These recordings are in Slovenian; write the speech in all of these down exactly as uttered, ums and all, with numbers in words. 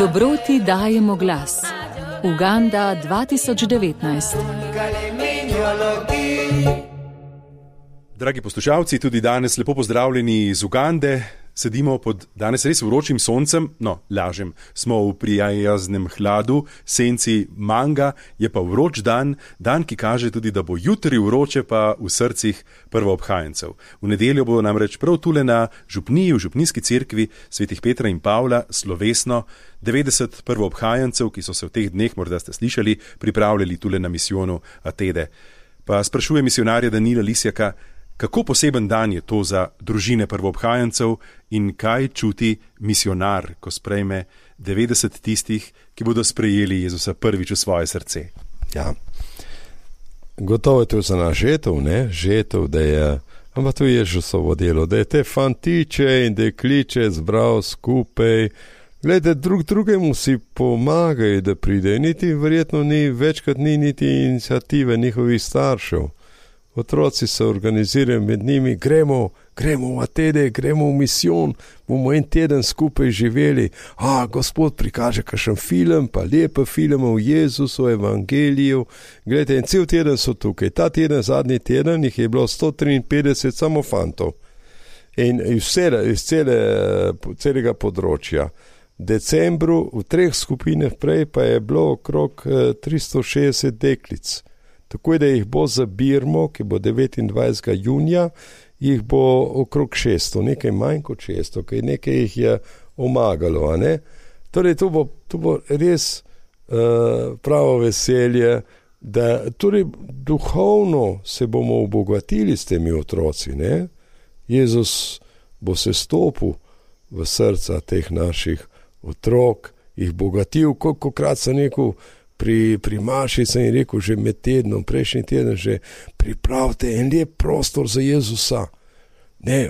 Dobroti dajemo glas. Uganda dva tisoč devetnajst. Dragi poslušalci, tudi danes lepo pozdravljeni iz Ugande. Sedimo pod danes res vročim soncem, no, lažem, smo v prijaznem hladu, senci manga, je pa vroč dan, dan, ki kaže tudi, da bo jutri vroče pa v srcih prvoobhajencev. V nedeljo bo namreč prav tule na župniji, v župnijski cerkvi svetih Petra in Pavla slovesno devetdeset prvoobhajencev, ki so se v teh dneh, morda ste slišali, pripravljali tule na misijonu Atede. Pa sprašuje misionarja Danila Lisjaka, kako poseben dan je to za družine prvoobhajencev in kaj čuti misionar, ko sprejme devetdeset tistih, ki bodo sprejeli Jezusa prvič v svoje srce? Ja, gotovo je to za nas žetov, ne? Žetov, da je, ampak to je Jezusovo delo, da je te fantiče in dekliče zbral skupaj. Glede, drug drugemu si pomagajo, da pride, niti verjetno ni, večkrat ni niti iniciative njihovih staršev. Otroci se organizirajo med njimi, gremo, gremo v Atede, gremo v misijon, bomo en teden skupaj živeli. A, Gospod prikaže kakšen film, pa lepe filme o Jezusu, o evangeliju. Glejte, in cel teden so tukaj. Ta teden, zadnji teden, jih je bilo sto triinpetdeset samo fantov. In iz, cele, iz cele, celega področja. V decembru v treh skupinah prej pa je bilo okrog tristo šestdeset deklic. Tako da jih bo za Birmo, ki bo devetindvajsetega junija, jih bo okrog šeststo, nekaj manj kot šeststo, kaj nekaj jih je omagalo, a ne? Torej, to bo, to bo res uh, pravo veselje, da torej duhovno se bomo obogatili s temi otroci, ne? Jezus bo se stopil v srca teh naših otrok, jih bogatil, kolikokrat sem rekel, Pri, pri Maši sem jim rekel že med tednom, prejšnji teden že, pripravite en lep prostor za Jezusa. Ne,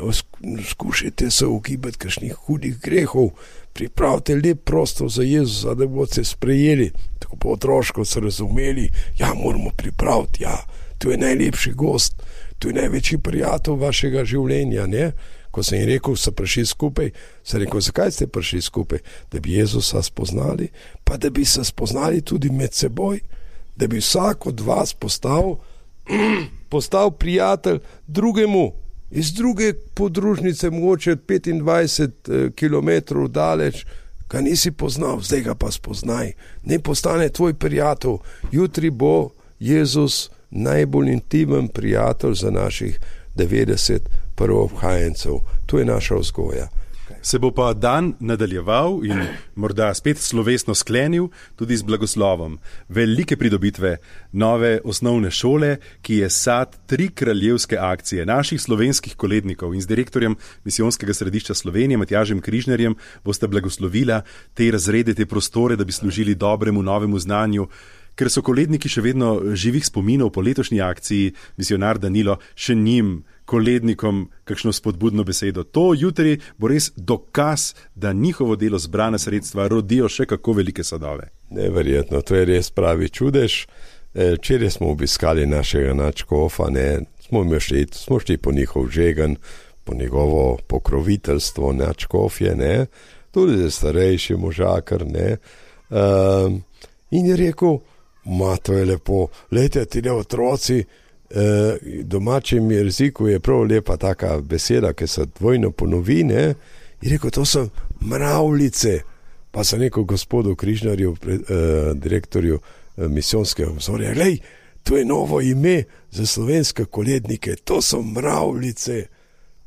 skušajte se ugibati kakšnih hudih grehov, pripravite lep prostor za Jezusa, da boste sprejeli. Tako po otroško se razumeli, ja, moramo pripraviti, ja, to je najlepši gost, to je največji prijatelj vašega življenja, ne. Ko sem jim rekel, so prišli skupaj, sem rekel, zakaj ste prišli skupaj? Da bi Jezusa spoznali, pa da bi se spoznali tudi med seboj, da bi vsak od vas postal, postal prijatelj drugemu, iz druge podružnice, mogoče petindvajset kilometrov daleč, ga nisi poznal, zdaj ga pa spoznaj, ne postane tvoj prijatelj, jutri bo Jezus najbolj intimen prijatelj za naših devetdeset prvoobhajencev. To je naša vzgoja. Se bo pa dan nadaljeval in morda spet slovesno sklenil tudi z blagoslovom velike pridobitve nove osnovne šole, ki je sad tri kraljevske akcije naših slovenskih kolednikov, in z direktorjem Misijonskega središča Slovenije, Matjažem Križnarjem, boste blagoslovila te razrede, te prostore, da bi služili dobremu novemu znanju. Ker so koledniki še vedno živih spominov po letošnji akciji, misionar Danilo še njim, kolednikom, kakšno spodbudno besedo. To jutri bo res dokaz, da njihovo delo, zbrana sredstva rodijo še kako velike sadove. Neverjetno, to je res pravi čudež. Včeraj smo obiskali našega nadškofa, ne, smo šli, smo šli po njihov žegen, po njegovo pokroviteljstvo nadškofje, ne, tudi za starejši možakar, ne. Um, in je rekel, ma, to je lepo, lejte, ti ne otroci, eh, domačem jeziku je prav lepa taka beseda, ki se dvojno ponovi, ne, in rekel, to so mravljice, pa sem rekel gospodu Križnarju, eh, direktorju eh, misijonskega obzorja, glej, to je novo ime za slovenske kolednike, to so mravljice,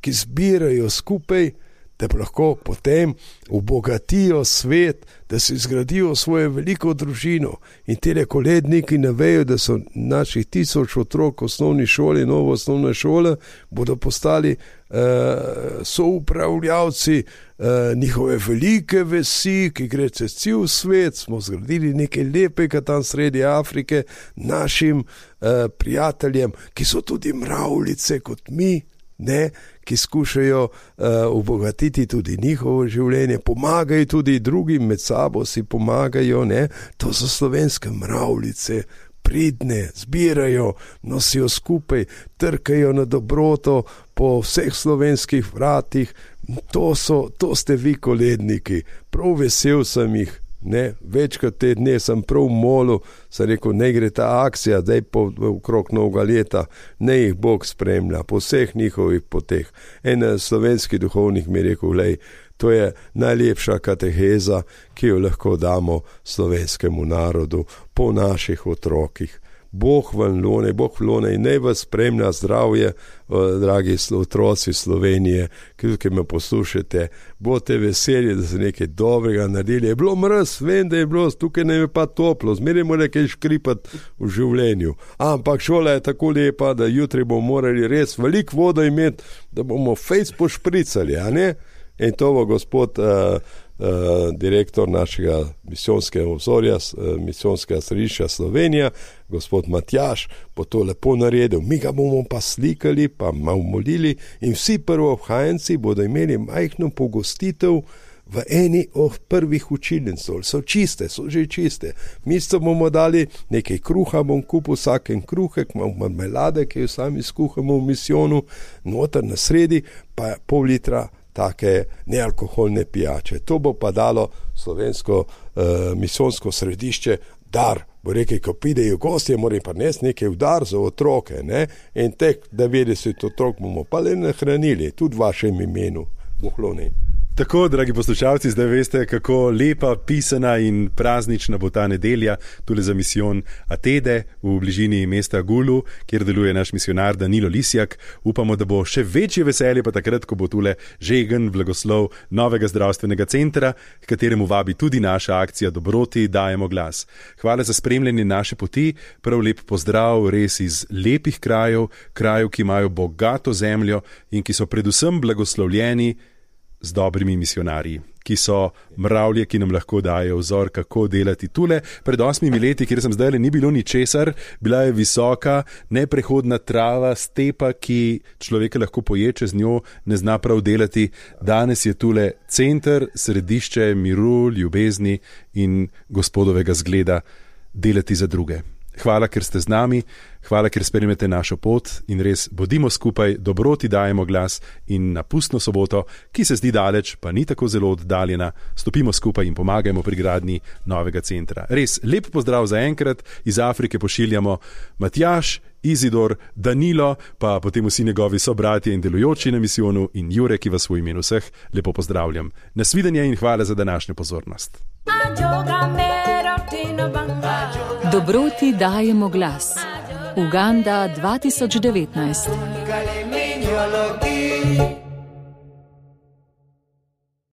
ki zbirajo skupaj, da pa lahko potem obogatijo svet, da si zgradijo svojo veliko družino. In tele koledniki ne vejo, da so naših tisoč otrok v osnovni šoli, novo osnovne šole, bodo postali uh, soupravljavci uh, njihove velike vesi, ki gre čez cel svet. Smo zgradili nekaj lepega tam sredi Afrike našim uh, prijateljem, ki so tudi mravljice kot mi, ne, ki skušajo uh, obogatiti tudi njihovo življenje, pomagajo tudi drugim, med sabo si pomagajo, ne, to so slovenske mravljice, pridne, zbirajo, nosijo skupaj, trkajo na dobroto po vseh slovenskih vratih, to, so, to ste vi koledniki, prav vesel sem jih Ne, večkrat te dne sem prav molil, sem rekel, ne gre ta akcija, zdaj po okrog novega leta, ne jih Bog spremlja, po vseh njihovih poteh. En slovenski duhovnik mi je rekel, lej, to je najlepša kateheza, ki jo lahko damo slovenskemu narodu, po naših otrokih. Bog vam lone, Bog lone in naj vas spremlja zdravje, dragi otroci Slovenije, ki me poslušate, bote veseli, da ste nekaj dobrega naredili. Je bilo mraz, vem, da je bilo, tukaj ne je pa toplo, zmeraj mora nekaj škripati v življenju. Ampak šola je tako lepa, da jutri bomo morali res veliko vodo imeti, da bomo fejs pošpricali, a ne? In to bo gospod uh, uh, direktor našega misijonskega obzorja, uh, misijonskega središča Slovenija, gospod Matjaž, bo to lepo naredil. Mi ga bomo pa slikali, pa malo molili in vsi prvobhajenci bodo imeli majhno pogostitev v eni od prvih učilnic. So čiste, so že čiste. Mi so bomo dali nekaj kruha, bom kupil vsaken kruhek, malo marmelade, ki jo sami skuhamo v misijonu, noter na sredi pa pol litra take nealkoholne pijače. To bo pa dalo slovensko uh, misijonsko središče dar. Bo rekel, ko pridejo gostje, moram pa nes nekaj v dar za otroke, ne? In tek devetdeset otrok bomo pa le nahranili, tudi v vašem imenu, Bohloni. Tako, dragi poslušalci, zdaj veste, kako lepa, pisana in praznična bo ta nedelja tule za misijon Atede v bližini mesta Gulu, kjer deluje naš misionar Danilo Lisjak. Upamo, da bo še večje veselje pa takrat, ko bo tule žegen blagoslov novega zdravstvenega centra, k kateremu vabi tudi naša akcija Dobroti dajemo glas. Hvala za spremljanje naše poti, prav lep pozdrav res iz lepih krajev, krajev, ki imajo bogato zemljo in ki so predvsem blagoslovljeni z dobrimi misionarji, ki so mravlje, ki nam lahko dajo vzor, kako delati tule. Pred osmimi leti, kjer sem zdaj, ni bilo ničesar, bila je visoka, neprehodna trava, stepa, ki človeka lahko poječe z njo, ne zna prav delati. Danes je tule center, središče miru, ljubezni in gospodovega zgleda delati za druge. Hvala, ker ste z nami, hvala, ker spremljate našo pot in res bodimo skupaj, Dobroti dajemo glas in na pustno soboto, ki se zdi daleč, pa ni tako zelo oddaljena, stopimo skupaj in pomagajmo pri gradnji novega centra. Res, lep pozdrav za enkrat, iz Afrike pošiljamo Matjaž, Izidor, Danilo, pa potem vsi njegovi sobratje in delujoči na misijonu in Jure, ki vas v imenu vseh lepo pozdravljam. Nasvidenje in hvala za današnjo pozornost. Dobroti dajemo glas. Uganda dva tisoč devetnajst.